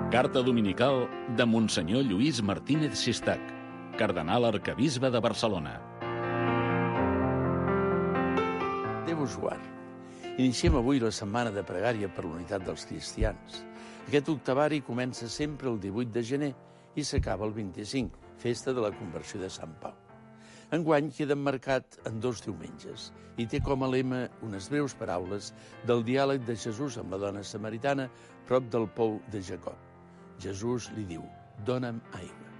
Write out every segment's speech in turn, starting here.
Carta dominical de Monsenyor Lluís Martínez Sistac, cardenal arquebisbe de Barcelona. Déu us guard. Iniciem avui la setmana de pregària per l'unitat dels cristians. Aquest octavari comença sempre el 18 de gener i s'acaba el 25, festa de la conversió de Sant Pau. Enguany queda emmarcat en 2 diumenges i té com a lema unes breus paraules del diàleg de Jesús amb la dona samaritana prop del pou de Jacob. Jesús li diu: «Dóna'm aigua».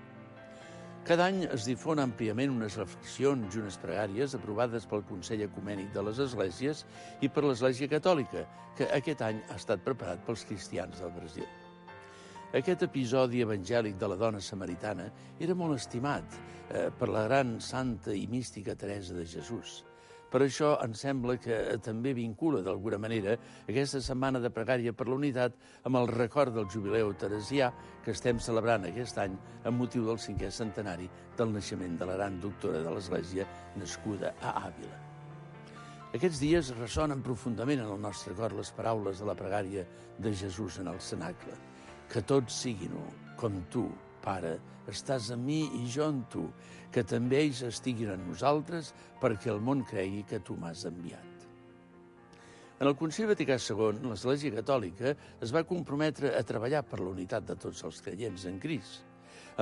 Cada any es difon àmpliament unes reflexions i unes pregàries aprovades pel Consell Ecumènic de les Esglésies i per l'Església Catòlica, que aquest any ha estat preparat pels cristians del Brasil. Aquest episodi evangèlic de la dona samaritana era molt estimat per la gran santa i mística Teresa de Jesús. Per això ens sembla que també vincula d'alguna manera aquesta setmana de pregària per la unitat amb el record del jubileu teresià que estem celebrant aquest any amb motiu del 5è centenari del naixement de la gran doctora de l'Església nascuda a Àvila. Aquests dies ressonen profundament en el nostre cor les paraules de la pregària de Jesús en el cenacle. Que tots siguin u, com tu, Pare, estàs en mi i jo en tu, que també ells estiguin en nosaltres perquè el món cregui que tu m'has enviat. En el Concili Vaticà II, l'Església Catòlica es va comprometre a treballar per la unitat de tots els creients en Crist,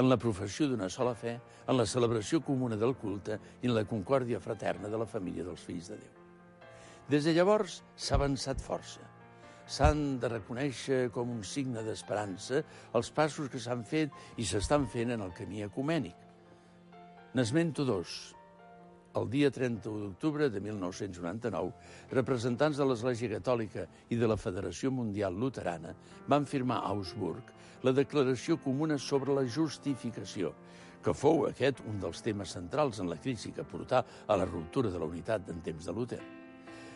en la professió d'una sola fe, en la celebració comuna del culte i en la concòrdia fraterna de la família dels fills de Déu. Des de llavors s'ha avançat força. S'han de reconèixer com un signe d'esperança els passos que s'han fet i s'estan fent en el camí ecumènic. N'esmento 2. El dia 31 d'octubre de 1999, representants de l'Església Catòlica i de la Federació Mundial Luterana van firmar a Augsburg la Declaració Comuna sobre la Justificació, que fou aquest un dels temes centrals en la crisi que portà a la ruptura de la unitat en temps de Luter.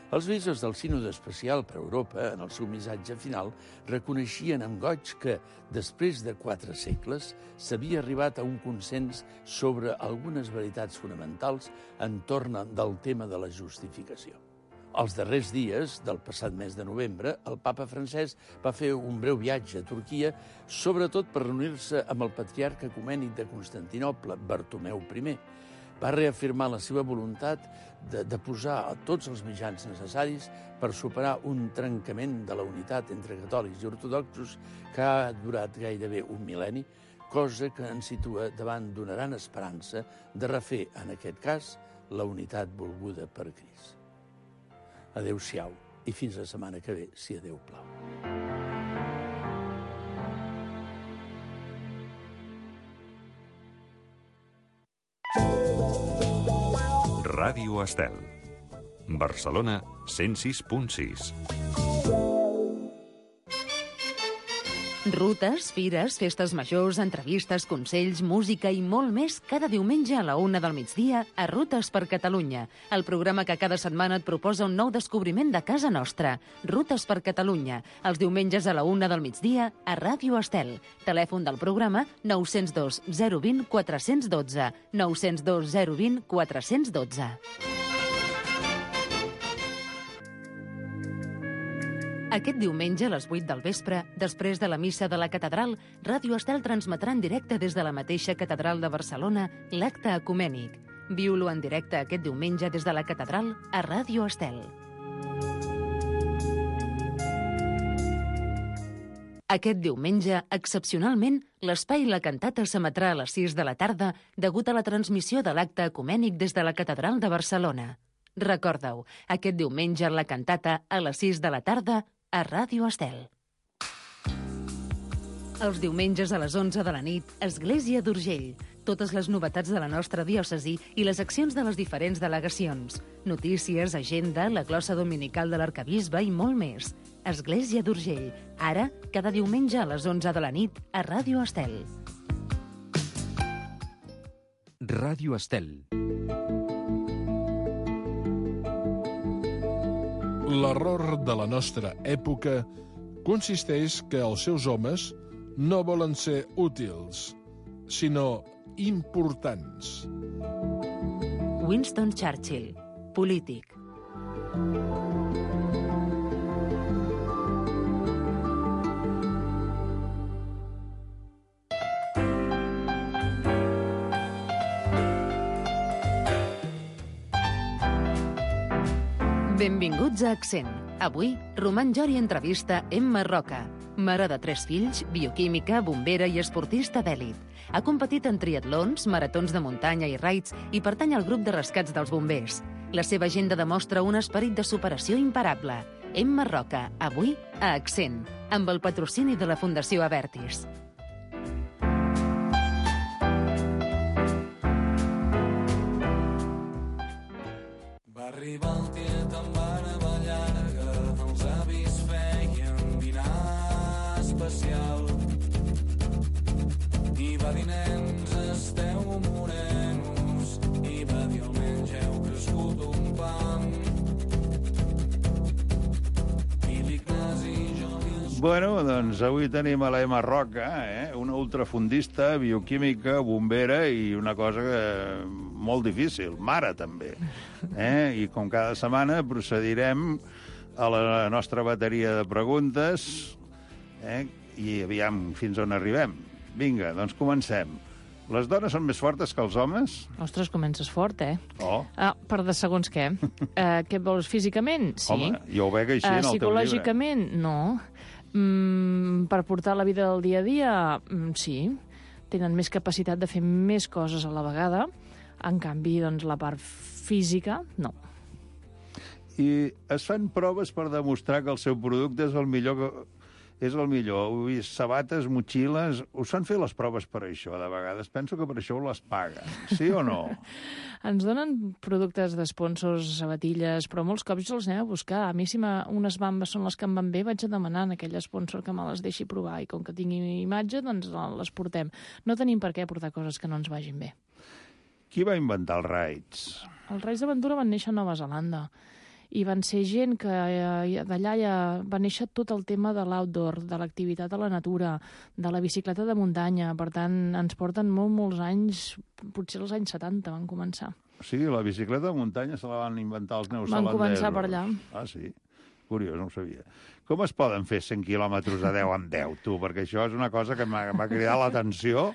Els bisbes del Sínode Especial per Europa, en el seu missatge final, reconeixien amb goig que, després de 4 segles, s'havia arribat a un consens sobre algunes veritats fonamentals entorn del tema de la justificació. Els darrers dies del passat mes de novembre, el papa francès va fer un breu viatge a Turquia, sobretot per reunir-se amb el patriarca ecumènic de Constantinoble, Bartomeu I. Va reafirmar la seva voluntat de posar a tots els mitjans necessaris per superar un trencament de la unitat entre catòlics i ortodoxos que ha durat gairebé un mil·lenni, cosa que ens situa davant d'una gran esperança de refer, en aquest cas, la unitat volguda per Crist. Adéu-siau i fins la setmana que ve, si a Déu plau. Ràdio Estel. Barcelona 106.6. Rutes, fires, festes majors, entrevistes, consells, música i molt més cada diumenge a la 1 del migdia a Rutes per Catalunya, el programa que cada setmana et proposa un nou descobriment de casa nostra. Rutes per Catalunya, els diumenges a la 1 del migdia a Ràdio Estel. Telèfon del programa 902 020 412, 902 020 412. Aquest diumenge a les 8 del vespre, després de la missa de la catedral, Ràdio Estel transmetrà en directe des de la mateixa catedral de Barcelona l'acte ecumènic. Viu-lo en directe aquest diumenge des de la catedral a Ràdio Estel. Aquest diumenge, excepcionalment, l'espai La Cantata s'emetrà a les 6 de la tarda degut a la transmissió de l'acte ecumènic des de la catedral de Barcelona. Recorda-ho, aquest diumenge La Cantata a les 6 de la tarda a Ràdio Estel. Els diumenges a les 11 de la nit, Església d'Urgell. Totes les novetats de la nostra diòcesi i les accions de les diferents delegacions. Notícies, agenda, la glossa dominical de l'arquebisbe i molt més. Església d'Urgell. Ara, cada diumenge a les 11 de la nit, a Ràdio Estel. Ràdio Estel. L'error de la nostra època consisteix que els seus homes no volen ser útils, sinó importants. Winston Churchill, polític. Benvinguts a Accent. Avui, Roman Jori entrevista Emma Roca, mare de 3 fills, bioquímica, bombera i esportista d'èlit. Ha competit en triatlons, maratons de muntanya i raids i pertany al grup de rescats dels bombers. La seva agenda demostra un esperit de superació imparable. Emma Roca, avui a Accent, amb el patrocini de la Fundació Abertis. Va arribar el tiet amb barba llarga, els avis feien dinar especial. I va dir, nens, esteu morenos, i va dir, almenys heu crescut un pam. I l'Ignasi i jo... Bueno, doncs avui tenim a l'Emma Roca, una ultrafundista, bioquímica, bombera i una cosa molt difícil, mare també. I com cada setmana procedirem a la nostra bateria de preguntes i aviam fins on arribem. Vinga, doncs comencem. Les dones són més fortes que els homes? Ostres, comences fort, Oh. Per de segons què. Què vols, físicament? Sí. Home, jo ho veig així en el teu llibre. Psicològicament, no. Per portar la vida del dia a dia, sí. Tenen més capacitat de fer més coses a la vegada. En canvi, doncs, la part física, no. I es fan proves per demostrar que el seu producte és el millor. Ho he vist, sabates, motxilles... Us fan fer les proves per això, de vegades. Penso que per això les paguen. Sí o no? Ens donen productes d'esponsors, sabatilles, però molts cops els anem a buscar. A mi, si unes bambes són les que em van bé, vaig a demanar a aquell esponsor que me les deixi provar. I com que tingui imatge, doncs les portem. No tenim per què portar coses que no ens vagin bé. Qui va inventar els raids? Els raids d'aventura van néixer a Nova Zelanda. I van ser gent que d'allà ja va néixer tot el tema de l'outdoor, de l'activitat a la natura, de la bicicleta de muntanya. Per tant, ens porten molts anys, potser als anys 70 van començar. O sigui, la bicicleta de muntanya se la van inventar els neozelandesos. Van començar per allà. Ah, sí? Curiós, no ho sabia. Com es poden fer 100 quilòmetres a 10 en 10, tu? Perquè això és una cosa que m'ha cridat l'atenció.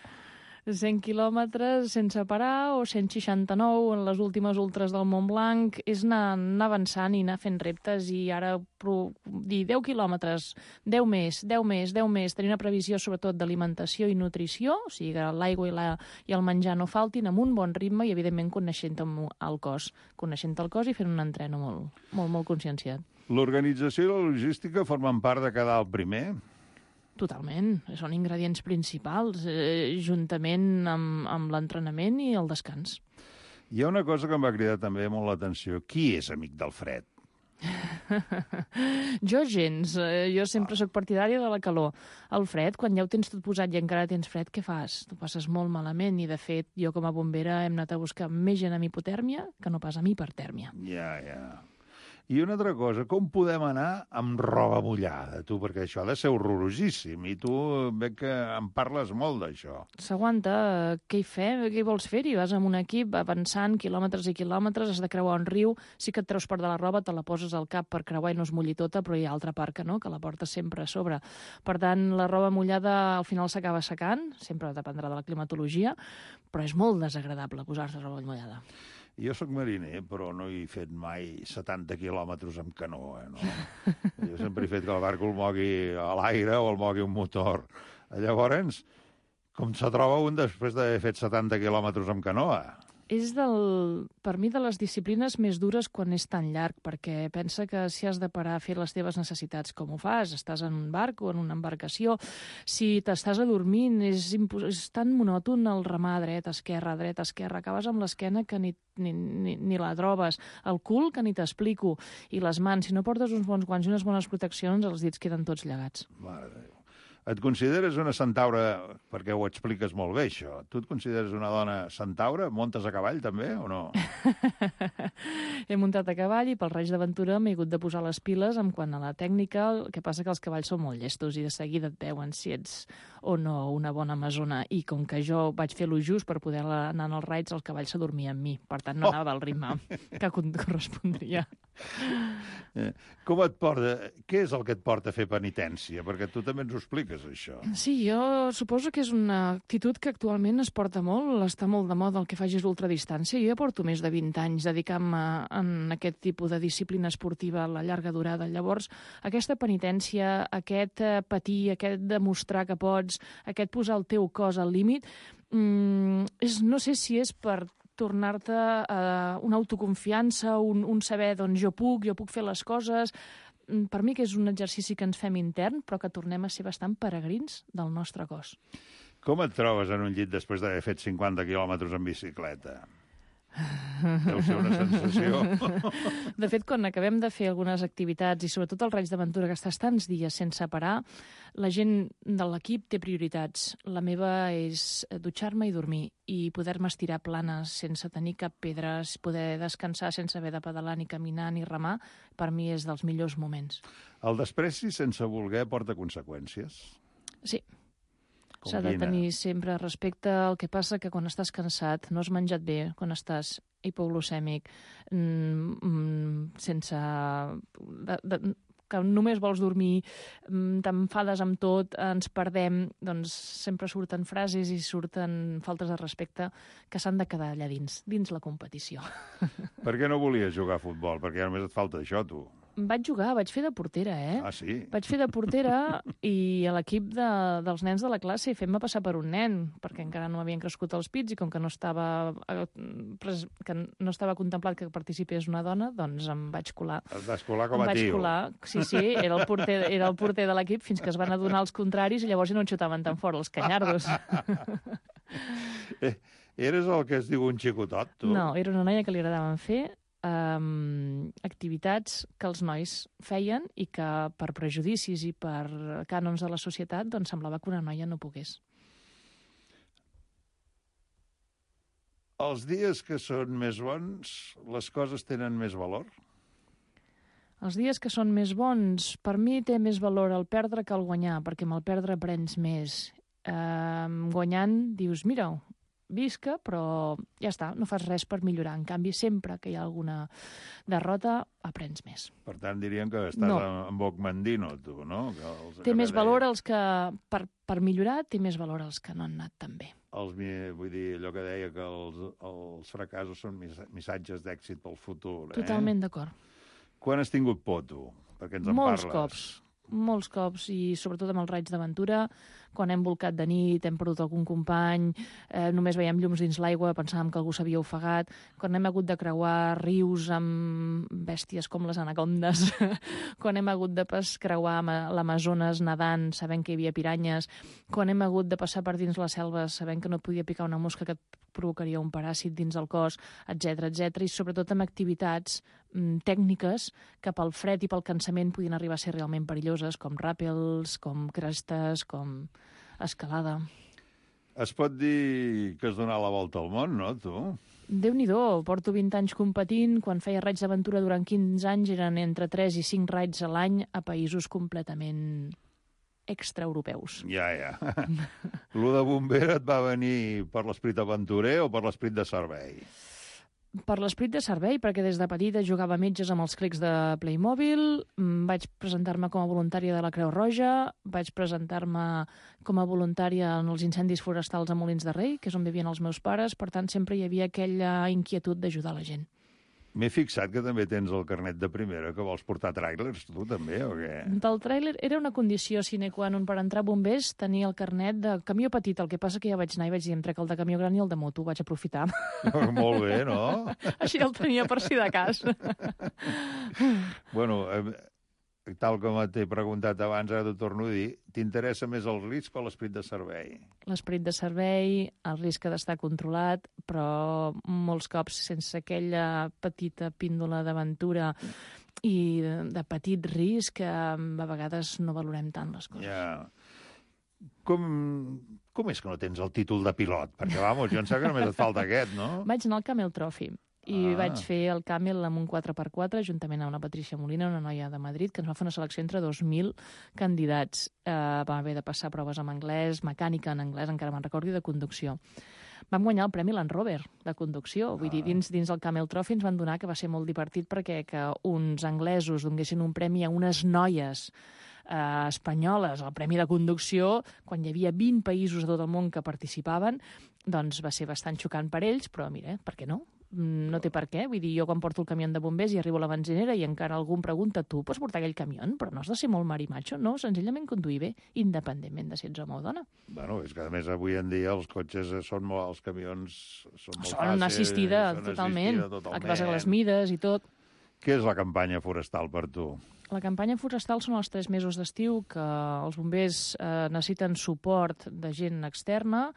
100 quilòmetres sense parar o 169 en les últimes ultres del Mont Blanc. És anar avançant i anar fent reptes i ara dir 10 quilòmetres, 10 més, 10 més, 10 més, tenir una previsió sobretot d'alimentació i nutrició, o sigui que l'aigua i el menjar no faltin, amb un bon ritme i evidentment coneixent el cos i fent un entreno molt conscienciat. L'organització i la logística formen part de quedar el primer? Totalment, són ingredients principals, juntament amb l'entrenament i el descans. Hi ha una cosa que em va cridar també molt l'atenció. Qui és amic del fred? Jo gens. Jo sempre sóc partidària de la calor. El fred, quan ja ho tens tot posat i encara tens fred, què fas? Tu passes molt malament i, de fet, jo com a bombera hem anat a buscar més gent amb hipotèrmia que no pas amb hipertèrmia. Ja. I una altra cosa, com podem anar amb roba mullada, tu? Perquè això ha de ser horrorosíssim, i tu veig que en parles molt d'això. S'aguanta. Què hi fem? Què vols fer-hi? Vas amb un equip avançant quilòmetres i quilòmetres, has de creuar un riu, sí que et treus part de la roba, te la poses al cap per creuar i no es mulli tota, però hi ha altra part que no, que la portes sempre a sobre. Per tant, la roba mullada al final s'acaba secant, sempre dependrà de la climatologia, però és molt desagradable posar-se roba mullada. Jo sóc mariner, però no he fet mai 70 quilòmetres amb canoa, no? Jo sempre he fet que el barco el mogui a l'aire o el mogui un motor. Llavors, com se troba un després d'haver fet 70 quilòmetres amb canoa? És, per mi, de les disciplines més dures quan és tan llarg, perquè pensa que si has de parar a fer les teves necessitats, com ho fas? Estàs en un barc o en una embarcació? Si t'estàs adormint, és tan monòton el remar dreta, esquerra, acabes amb l'esquena que ni la trobes, el cul que ni t'explico, i les mans, si no portes uns bons guants i unes bones proteccions, els dits queden tots llegats. Mare de Déu. Et consideres una centaura, perquè ho expliques molt bé, això. Tu et consideres una dona centaura? Montes a cavall, també, o no? He muntat a cavall i pel Reig d'Aventura m'he hagut de posar les piles en quant a la tècnica. El que passa que els cavalls són molt llestos i de seguida et veuen si ets o no una bona amazona. I com que jo vaig fer lo just per poder anar als raids, el cavall s'adormia amb mi. Per tant, no anava al ritme que correspondria. Com et porta? Què és el que et porta a fer penitència? Perquè tu també ens ho expliques, això. Sí, jo suposo que és una actitud que actualment es porta molt, està molt de moda el que facis l'ultradistància. Jo ja porto més de 20 anys dedicant-me en aquest tipus de disciplina esportiva a la llarga durada. Llavors, aquesta penitència, aquest patir, aquest demostrar que pots, aquest posar el teu cos al límit, no sé si és per tornar-te una autoconfiança, un saber, doncs, jo puc fer les coses. Per mi que és un exercici que ens fem intern, però que tornem a ser bastant peregrins del nostre cos. Com et trobes en un llit després d'haver fet 50 quilòmetres en bicicleta? Deu ser una sensació. De fet, quan acabem de fer algunes activitats, i sobretot el raig d'aventura, que estàs tants dies sense parar, la gent de l'equip té prioritats. La meva és dutxar-me i dormir, i poder-me estirar planes sense tenir cap pedra, poder descansar sense haver de pedalar, ni caminar, ni remar, per mi és dels millors moments. El despreci sense voler porta conseqüències? Sí. S'ha de tenir sempre respecte. El que passa que quan estàs cansat, no has menjat bé, quan estàs hipoglucèmic, sense... que només vols dormir, t'enfades amb tot, ens perdem, doncs sempre surten frases i surten faltes de respecte que s'han de quedar allà dins la competició. Per què no volies jugar a futbol? Perquè només et falta això, tu. Vaig jugar, vaig fer de portera, Ah, sí? Vaig fer de portera i a l'equip dels nens de la classe fent-me passar per un nen, perquè encara no havien crescut els pits i com que no estava contemplat que participés una dona, doncs em vaig colar. Et vas colar com a tio. Em vaig colar, sí, era el porter de l'equip fins que es van adonar els contraris i llavors ja no en xutaven tan fort els canyardos. Eres el que es diu un xicotot, tu? No, era una noia que li agradaven fer activitats que els nois feien i que per prejudicis i per cànons de la societat doncs semblava que una noia no pogués. Els dies que són més bons, les coses tenen més valor? Els dies que són més bons, per mi té més valor el perdre que el guanyar, perquè amb el perdre aprens més. Guanyant dius, mira, visca, però ja està, no fas res per millorar. En canvi, sempre que hi ha alguna derrota, aprens més. Per tant, dirien que estàs en boc mandino, tu, no? Té més valor els que, per millorar, té més valor els que no han anat tan bé. Vull dir, allò que deia que els fracassos són missatges d'èxit pel futur. Totalment d'acord. Quan has tingut por, tu? Perquè ens en parles. Molts cops, i sobretot amb els raids d'aventura, quan hem volcat de nit, hem perdut algun company, només veiem llums dins l'aigua, pensàvem que algú s'havia ofegat, quan hem hagut de creuar rius amb bèsties com les anacondes, quan hem hagut de creuar l'Amazones nedant, sabent que hi havia piranyes, quan hem hagut de passar per dins la selva sabent que no podia picar una mosca que et provocaria un paràsit dins el cos, etc, i sobretot amb activitats tècniques que pel fred i pel cansament podien arribar a ser realment perilloses, com ràpels, com crestes, com escalada. Es pot dir que has donat la volta al món, no, tu? Déu-n'hi-do, porto 20 anys competint. Quan feia raids d'aventura durant 15 anys eren entre 3 i 5 raids a l'any a països completament extraeuropeus. Ja. Lo de bombera et va venir per l'esperit aventurer o per l'esperit de servei? Per l'esperit de servei, perquè des de petita jugava metges amb els clics de Playmobil, vaig presentar-me com a voluntària de la Creu Roja, vaig presentar-me com a voluntària en els incendis forestals a Molins de Rei, que és on vivien els meus pares, per tant sempre hi havia aquella inquietud d'ajudar la gent. M'he fixat que també tens el carnet de primera, que vols portar tràilers, tu també, o què? Del tràiler era una condició sine qua non per entrar a bombers, tenir el carnet de camió petit, el que passa que ja vaig anar i vaig dir, em trec el de camió gran i el de moto, vaig aprofitar. Molt bé, no? Així el tenia per si de cas. Bueno, tal com t'he preguntat abans, ara t'ho torno a dir, t'interessa més el risc o l'esperit de servei? L'esperit de servei, el risc ha d'estar controlat, però molts cops sense aquella petita píndola d'aventura i de petit risc, a vegades no valorem tant les coses. Ja. Com és que no tens el títol de pilot? Perquè, vamos, jo em sembla que només et falta aquest, no? Vaig anar al Camel Trophy. I vaig fer el Camel amb un 4x4, juntament amb una Patricia Molina, una noia de Madrid, que ens va fer una selecció entre 2.000 candidats. Vam haver de passar proves en anglès, mecànica en anglès, encara me'n recordo, i de conducció. Vam guanyar el Premi Land Rover de conducció. Vull dir, dins el Camel Trophy ens van donar, que va ser molt divertit, perquè que uns anglesos donguessin un premi a unes noies espanyoles al Premi de Conducció, quan hi havia 20 països de tot el món que participaven, doncs va ser bastant xocant per ells, però mira, per què no? No té per què. Vull dir, jo quan porto el camió de bombers i arribo a la benzinera i encara algú em pregunta, tu pots portar aquell camió? Però no has de ser molt marimacho, no, senzillament conduir bé, independentment de si ets home o dona. Bueno, és que a més avui en dia els cotxes són molt, els camions són molt fàcils. Una assistida, totalment. El que passa que les mides i tot. Què és la campanya forestal per tu? La campanya forestal són els 3 mesos d'estiu que els bombers necessiten suport de gent externa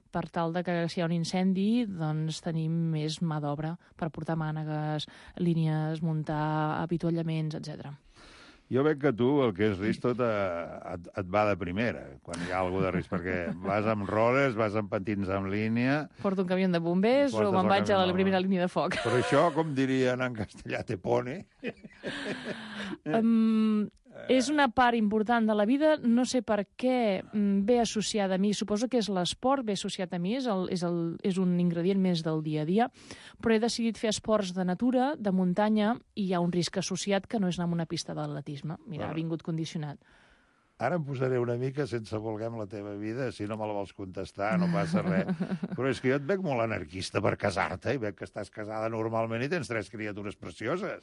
per tal de que si hi ha un incendi doncs tenim més mà d'obra per portar mànegues, línies, muntar avituallaments, etc. Jo veig que tu, el que és risc, tot et va de primera, quan hi ha alguna de risc, perquè vas amb rodes, vas amb patins en línia... Porto un camió de bombers o me'n vaig a la primera línia de foc. Però això, com dirien en castellà, te pone... És una part important de la vida, no sé per què ve associada a mi, suposo que és l'esport, ve associat a mi, és un ingredient més del dia a dia, però he decidit fer esports de natura, de muntanya, i hi ha un risc associat que no és anar a una pista d'atletisme. Mira, ha vingut condicionat. Ara em posaré una mica sense voler amb la teva vida, si no me la vols contestar, no passa res. Però és que jo et veig molt anarquista per casar-te, i veig que estàs casada normalment i tens 3 criatures precioses.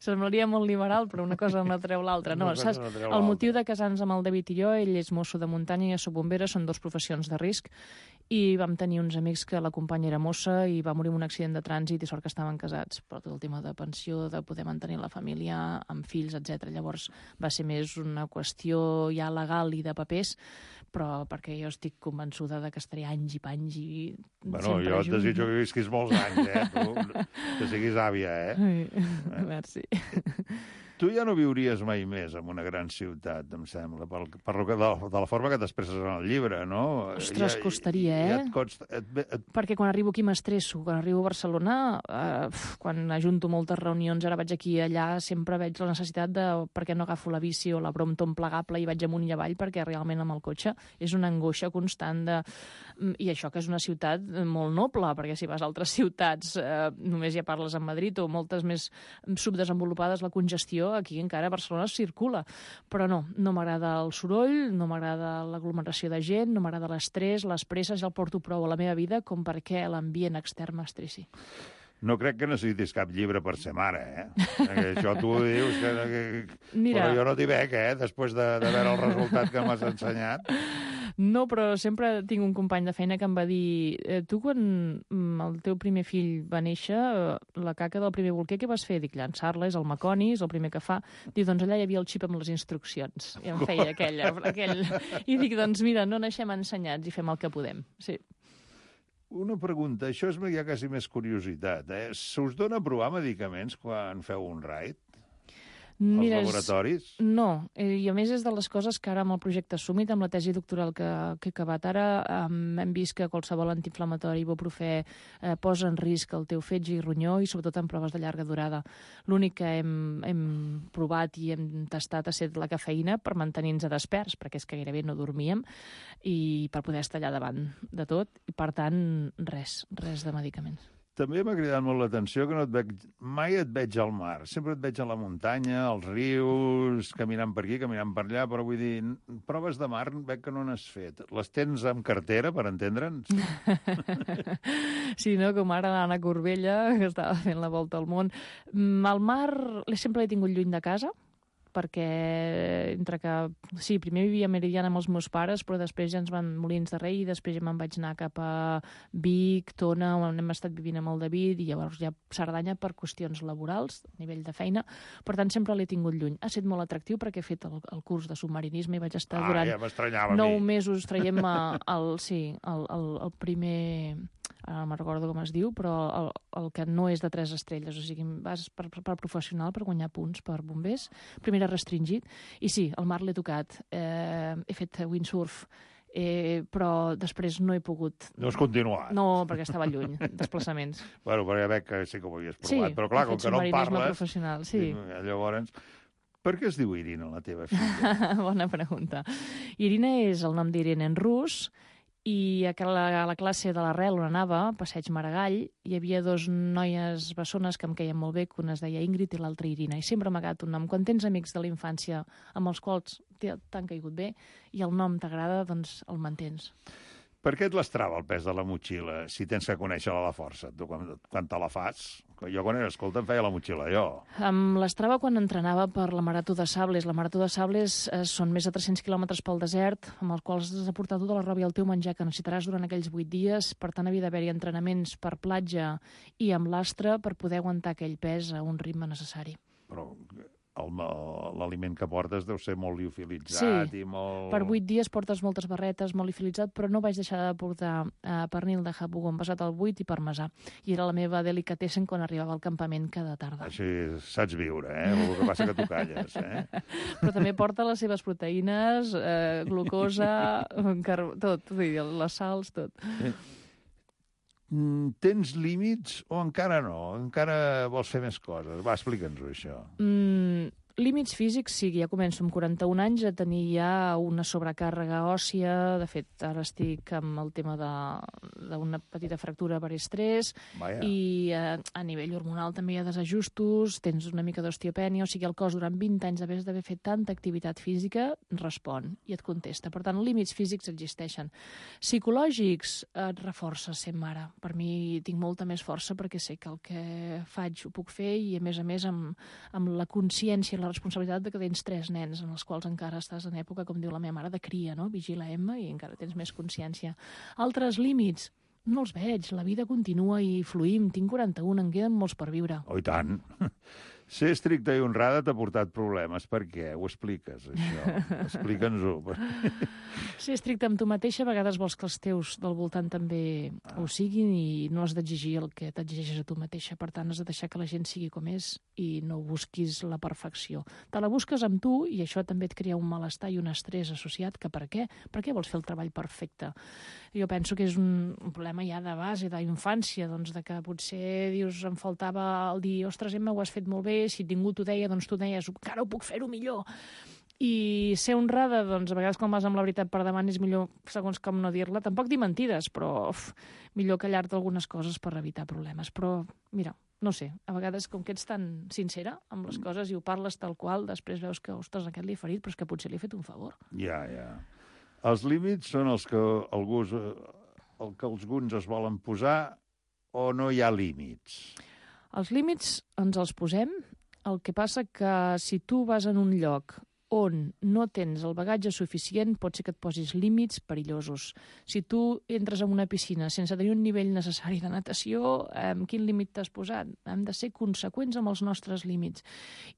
Semblaria molt liberal, però una cosa no treu l'altra. No, saps? El motiu de casar-nos amb el David i jo, ell és mosso de muntanya i jo soc bombera, són 2 professions de risc, i vam tenir uns amics que la companya era mossa i va morir en un accident de trànsit i sort que estaven casats, però tot el tema de pensió, de poder mantenir la família amb fills, etc. Llavors va ser més una qüestió ja legal i de papers, però perquè jo estic convençuda de que estaré anys i panys i bueno, jo et desitjo que visquis molts anys, tu, que siguis àvia, Merci. Tu ja no viuries mai més en una gran ciutat, em sembla, de la forma que t'expresses en el llibre, no? Ostres, costaria, Perquè quan arribo aquí m'estresso. Quan arribo a Barcelona, quan ajunto moltes reunions, ara vaig aquí i allà, sempre veig la necessitat de per què no agafo la bici o la Brompton plegable i vaig amunt i avall, perquè realment amb el cotxe és una angoixa constant de... I això que és una ciutat molt noble, perquè si vas a altres ciutats només ja parles en Madrid o moltes més subdesenvolupades, la congestió aquí encara a Barcelona es circula. Però no m'agrada el soroll, no m'agrada l'aglomeració de gent, no m'agrada l'estrès, les presses, ja el porto prou a la meva vida com perquè l'ambient extern m'estressi. No crec que necessitis cap llibre per ser mare, Això tu ho dius, Mira, però jo no t'hi veig, després de veure el resultat que m'has ensenyat. No, però sempre tinc un company de feina que em va dir tu quan el teu primer fill va néixer, la caca del primer bolquer, què vas fer? Dic, llançar-la, és el Maconi, és el primer que fa. Diu, doncs allà hi havia el xip amb les instruccions. I em feia aquell. I dic, doncs mira, no naixem ensenyats i fem el que podem. Sí. Una pregunta, això és ja quasi més curiositat, Se us dona a provar medicaments quan feu un raid? Mira, als laboratoris? No, i a més és de les coses que ara amb el projecte Summit, amb la tesi doctoral que he acabat ara, hem vist que qualsevol antiinflamatori, ibuprofè, posa en risc el teu fetge i ronyó i sobretot en proves de llarga durada. L'únic que hem provat i hem tastat ha estat la cafeïna per mantenir-nos desperts, perquè és que gairebé no dormíem, i per poder estar allà davant de tot, i per tant, res de medicaments. També m'ha cridat molt l'atenció que mai et veig al mar. Sempre et veig a la muntanya, als rius, caminant per aquí, caminant per allà, però vull dir, proves de mar veig que no n'has fet. Les tens amb cartera, per entendre'ns? Sí, no? Com ara l'Anna Corbella, que estava fent la volta al món. Al mar sempre l'he tingut lluny de casa, perquè primer vivia a Meridiana amb els meus pares, però després ja ens van Molins de Rei i després ja me'n vaig anar cap a Vic, Tona, on hem estat vivint amb el David, i llavors ja Cerdanya per qüestions laborals, a nivell de feina. Per tant, sempre l'he tingut lluny. Ha estat molt atractiu perquè he fet el curs de submarinisme i vaig estar durant 9 mesos traient-me el primer... Ara no me'n recordo com es diu, però el que no és de 3 estrelles, o sigui, vas per professional per guanyar punts per bombers, primer era restringit, i sí, el mar l'he tocat, he fet windsurf, però després no he pogut... No has continuat. No, perquè estava lluny, desplaçaments. Bueno, perquè veig que sí que ho havies provat, però clar, com que no en parles... Professional, sí. Llavors, per què es diu Irina, la teva filla? Bona pregunta. Irina és el nom d'Irene en rus, i a la classe de l'Arrel on anava, Passeig Maragall, hi havia dos noies bessones que em queien molt bé, que una es deia Ingrid i l'altra Irina, i sempre m'ha agradat un nom. Quan tens amics de la infància amb els quals t'han caigut bé i el nom t'agrada, doncs el mantens. Per què et l'estrava el pes de la motxilla, si tens que conèixer-la a la força, tu quan te la fas? Jo quan era escolta em feia la motxilla, jo. Em l'estrava quan entrenava per la Marató de Sables. La Marató de Sables són més de 300 quilòmetres pel desert, amb els quals has de portar tota la roba i el teu menjar que necessitaràs durant aquells 8 dies. Per tant, havia d'haver-hi entrenaments per platja i amb l'astre per poder aguantar aquell pes a un ritme necessari. Però l'aliment que portes deu ser molt liofilitzat i molt... Per 8 dies portes moltes barretes, molt liofilitzat, però no vaig deixar de portar pernil de jabugo envasat al buit i parmesà. I era la meva delicatessen quan arribava al campament cada tarda. Així saps viure, El que passa que tu calles, Però també porta les seves proteïnes, glucosa, tot, vull dir, les sals, tot. Tens límits o encara no? Encara vols fer més coses? Va, explica'ns-ho, això. Límits físics, sí, ja començo amb 41 anys a tenir ja una sobrecàrrega òssia. De fet, ara estic amb el tema d'una petita fractura per estrès. Vaja. I a nivell hormonal també hi ha desajustos, tens una mica d'osteopènia, o sigui, el cos durant 20 anys d'haver fet tanta activitat física respon i et contesta. Per tant, límits físics existeixen. Psicològics et reforça ser mare. Per mi tinc molta més força perquè sé que el que faig ho puc fer i, a més, amb la consciència i la responsabilitat de que tens 3 nens en els quals encara estàs en època, com diu la meva mare, de cria, no? Vigila Emma, i encara tens més consciència. Altres límits, no els veig, la vida continua i fluïm, tinc 41, en queden molts per viure. Oh, i tant. Ser estricta i honrada t'ha portat problemes. Per què? Ho expliques, això? Explica'ns-ho. Ser estricte amb tu mateixa, a vegades vols que els teus del voltant també ho siguin i no has d'exigir el que t'exigeixes a tu mateixa. Per tant, has de deixar que la gent sigui com és i no busquis la perfecció. Te la busques amb tu i això també et crea un malestar i un estrès associat, que per què? Per què vols fer el treball perfecte? Jo penso que és un problema ja de base, d'infància, doncs, de que potser dius, em faltava el dir, ostres, Emma, ho has fet molt bé, si ningú t'ho deia, doncs tu deies, encara ho puc fer-ho millor. I ser honrada, doncs, a vegades quan vas amb la veritat per davant és millor, segons com no dir-la. Tampoc dir mentides, però millor callar-te algunes coses per evitar problemes. Però, mira, no sé, a vegades com que ets tan sincera amb les coses i ho parles tal qual, després veus que, ostres, aquest li he ferit, però és que potser li he fet un favor. Ja. Els límits són els que alguns es volen posar o no hi ha límits? Els límits ens els posem. El que passa que si tu vas en un lloc on no tens el bagatge suficient, pot ser que et posis límits perillosos. Si tu entres en una piscina sense tenir un nivell necessari de natació, quin límit t'has posat? Hem de ser conseqüents amb els nostres límits.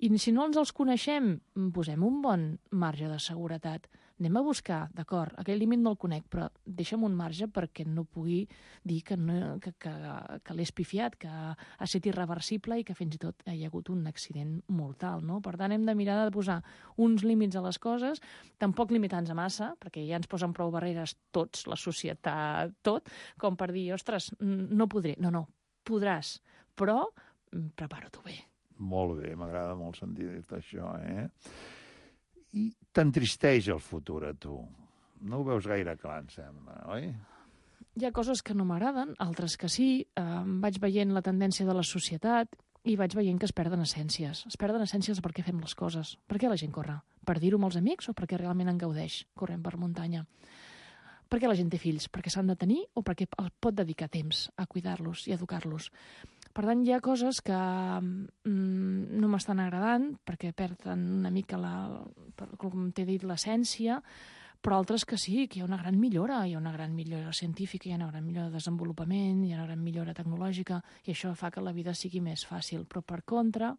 I si no ens els coneixem, posem un bon marge de seguretat. Anem a buscar, d'acord, aquell límit no el conec, però deixa'm un marge perquè no pugui dir que l'he espifiat, que ha estat irreversible i que fins i tot hi ha hagut un accident mortal, no? Per tant, hem de mirar de posar uns límits a les coses, tampoc limitar-nos massa, perquè ja ens posen prou barreres tots, la societat, tot, com per dir, ostres, no podré. No, podràs, però prepara-t'ho bé. Molt bé, m'agrada molt sentir això, I t'entristeix el futur a tu. No ho veus gaire clar, em sembla, oi? Hi ha coses que no m'agraden, altres que sí. Vaig veient la tendència de la societat i vaig veient que es perden essències. Es perden essències de per què fem les coses. Per què la gent corre? Per dir-ho amb els amics o perquè realment en gaudeix corrent per muntanya? Per què la gent té fills? Perquè s'han de tenir o perquè pot dedicar temps a cuidar-los i educar-los? Per tant, hi ha coses que no m'estan agradant perquè perden una mica, com t'he dit, l'essència, però altres que sí, que hi ha una gran millora. Hi ha una gran millora científica, hi ha una gran millora de desenvolupament, hi ha una gran millora tecnològica, i això fa que la vida sigui més fàcil. Però, per contra,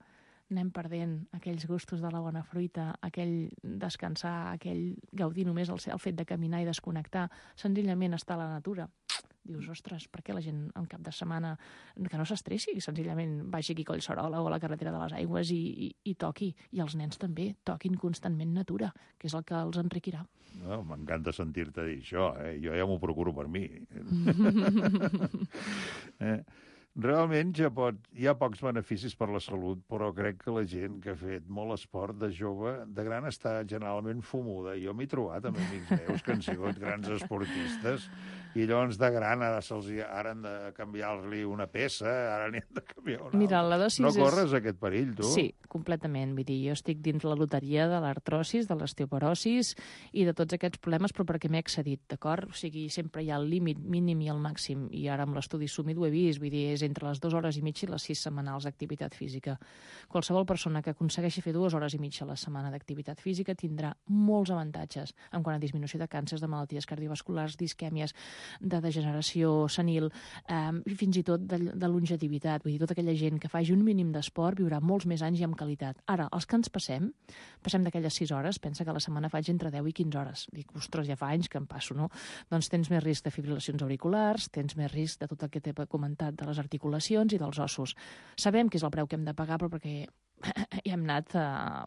anem perdent aquells gustos de la bona fruita, aquell descansar, aquell gaudir només el fet de caminar i desconnectar, senzillament estar a la natura. Dius, ostres, per què la gent en cap de setmana que no s'estressi, senzillament vagi aquí a Collserola o a la carretera de les Aigües i toqui. I els nens també toquin constantment natura, que és el que els enriquirà. No, m'encanta sentir-te dir això, jo ja m'ho procuro per mi. Realment hi ha pocs beneficis per la salut, però crec que la gent que ha fet molt esport de jove, de gran, està generalment fumuda. Jo m'he trobat amb amics meus que han sigut grans esportistes i llavors de gran ara han de canviar-li una peça, ara n'hi han de canviar una Mira, altra. la dosis No corres aquest perill, tu? Sí, completament. Vull dir, jo estic dins la loteria de l'artrosis, de l'osteoporosis i de tots aquests problemes, però perquè m'he excedit, d'acord? O sigui, sempre hi ha el límit mínim i el màxim, i ara amb l'estudi Sumit ho he vist, vull dir, és entre les 2 hores i mitja i les 6 setmanals d'activitat física. Qualsevol persona que aconsegueixi fer 2 hores i mitja a la setmana d'activitat física tindrà molts avantatges en quant a disminució de càncers, de malalties cardiovasculars, d'isquèmies, de degeneració senil, i fins i tot de longevitat. Vull dir, tota aquella gent que faci un mínim d'esport viurà molts més anys i amb qualitat. Ara, els que ens passem d'aquelles 6 hores, pensa que a la setmana faig entre 10 i 15 hores. Dic, ostres, ja fa anys que em passo, no? Doncs tens més risc de fibrilacions auriculars, tens més risc de tot el que t'he comentat de les articulacions i dels ossos. Sabem que és el preu que hem de pagar, però perquè ja hem anat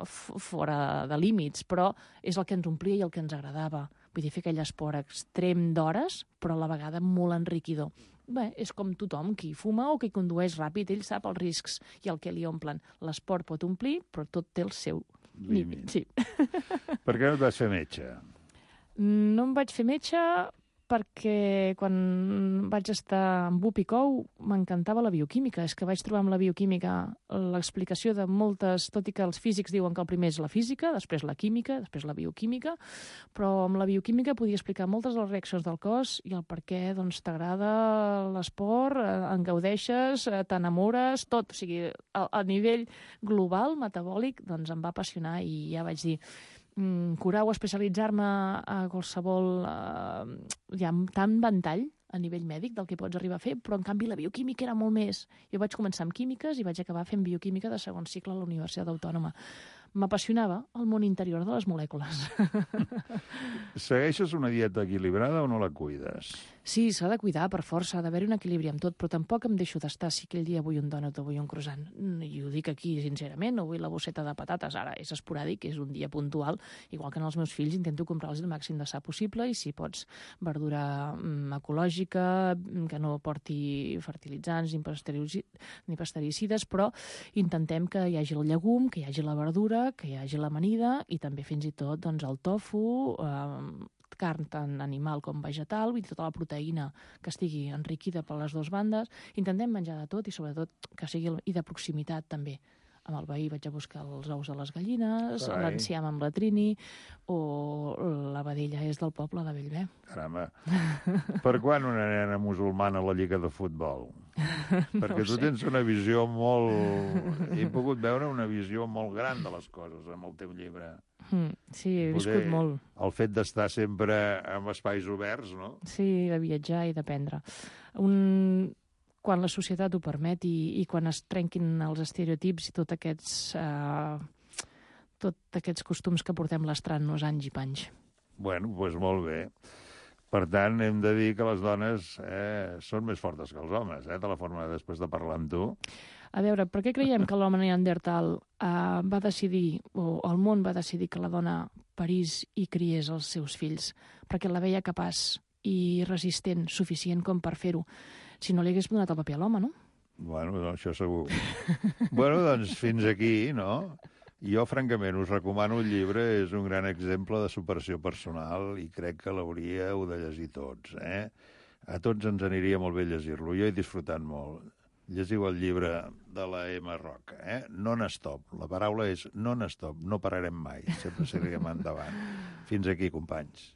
fora de límits, però és el que ens omplia i el que ens agradava. Vull dir, fer aquell esport extrem d'hores, però a la vegada molt enriquidor. Bé, és com tothom, qui fuma o qui condueix ràpid, ell sap els riscs i el que li omplen. L'esport pot omplir, però tot té el seu límit. Sí. Per què no et vas fer metge? No em vaig fer metge perquè quan vaig estar amb UP i COU m'encantava la bioquímica. És que vaig trobar amb la bioquímica l'explicació de moltes, tot i que els físics diuen que el primer és la física, després la química, després la bioquímica, però amb la bioquímica podia explicar moltes de les reaccions del cos i el per què doncs, t'agrada l'esport, en gaudeixes, t'enamores, tot. O sigui, a nivell global, metabòlic, doncs em va apassionar i ja vaig dir curar o especialitzar-me a qualsevol... hi ha tant ventall a nivell mèdic del que pots arribar a fer, però en canvi la bioquímica era molt més. Jo vaig començar amb químiques i vaig acabar fent bioquímica de segon cicle a la Universitat Autònoma. M'apassionava el món interior de les molècules. Segueixes una dieta equilibrada o no la cuides? Sí, s'ha de cuidar, per força, ha d'haver-hi un equilibri amb tot, però tampoc em deixo d'estar si aquell dia vull un dònut o vull un croissant. I ho dic aquí, sincerament, no vull la bosseta de patates. Ara és esporàdic, és un dia puntual, igual que en els meus fills intento comprar-los el màxim de sa possible i si pots verdura ecològica, que no porti fertilitzants ni pastericides, però intentem que hi hagi el llegum, que hi hagi la verdura, que hi hagi l'amanida i també fins i tot doncs, el tofu, carn tant animal com vegetal, vull dir, tota la proteïna que estigui enriquida per les dues bandes. Intentem menjar de tot i sobretot que sigui i de proximitat també. Amb el veí vaig a buscar els ous de les gallines, l'enciam amb la Trini o la vedella és del poble de Bellver. Caramba, per quan una nena musulmana a la lliga de futbol? Perquè tu tens una visió molt... He pogut veure una visió molt gran de les coses amb el teu llibre. Sí, he viscut molt. El fet d'estar sempre en espais oberts, no? Sí, de viatjar i d'aprendre. Quan la societat ho permet i quan es trenquin els estereotips i tots aquests costums que portem lastrant-nos anys i panys. Bueno, doncs molt bé. Per tant, hem de dir que les dones són més fortes que els homes, de la forma després de parlar amb tu. A veure, per què creiem que l'home neandertal va decidir, o el món va decidir que la dona parís i criés els seus fills? Perquè la veia capaç i resistent, suficient com per fer-ho. Si no li hagués donat el paper a l'home, no? Bueno, això segur. Bueno, doncs fins aquí, no? Jo, francament, us recomano el llibre, és un gran exemple de superació personal i crec que l'hauríeu de llegir tots, A tots ens aniria molt bé llegir-lo. Jo he disfrutat molt. Llegiu el llibre de la M. Roca, Non-stop. La paraula és non-stop, no pararem mai, sempre seguirem endavant. Fins aquí, companys.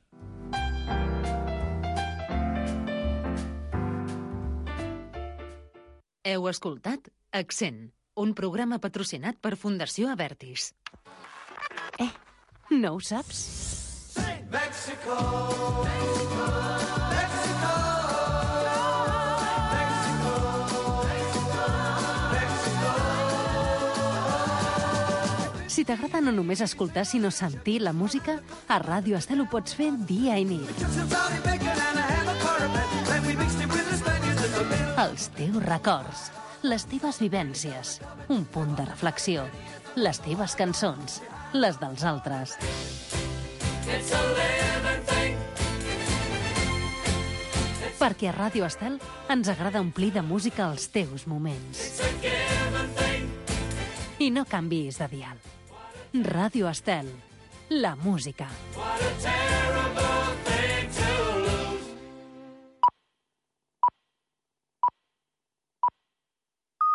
Heu escoltat Accent, un programa patrocinat per Fundació Avertis. No ho saps? Mexico, Mexico, Mexico, Mexico, Mexico, Mexico. Si t'agrada no només escoltar, sinó sentir la música, a Ràdio Estel ho pots fer dia i nit. Els teus records, les teves vivències, un punt de reflexió, les teves cançons, les dels altres. Perquè a Ràdio Estel ens agrada omplir de música els teus moments. I no canviïs de dial. Ràdio Estel, la música. What a terrible thing.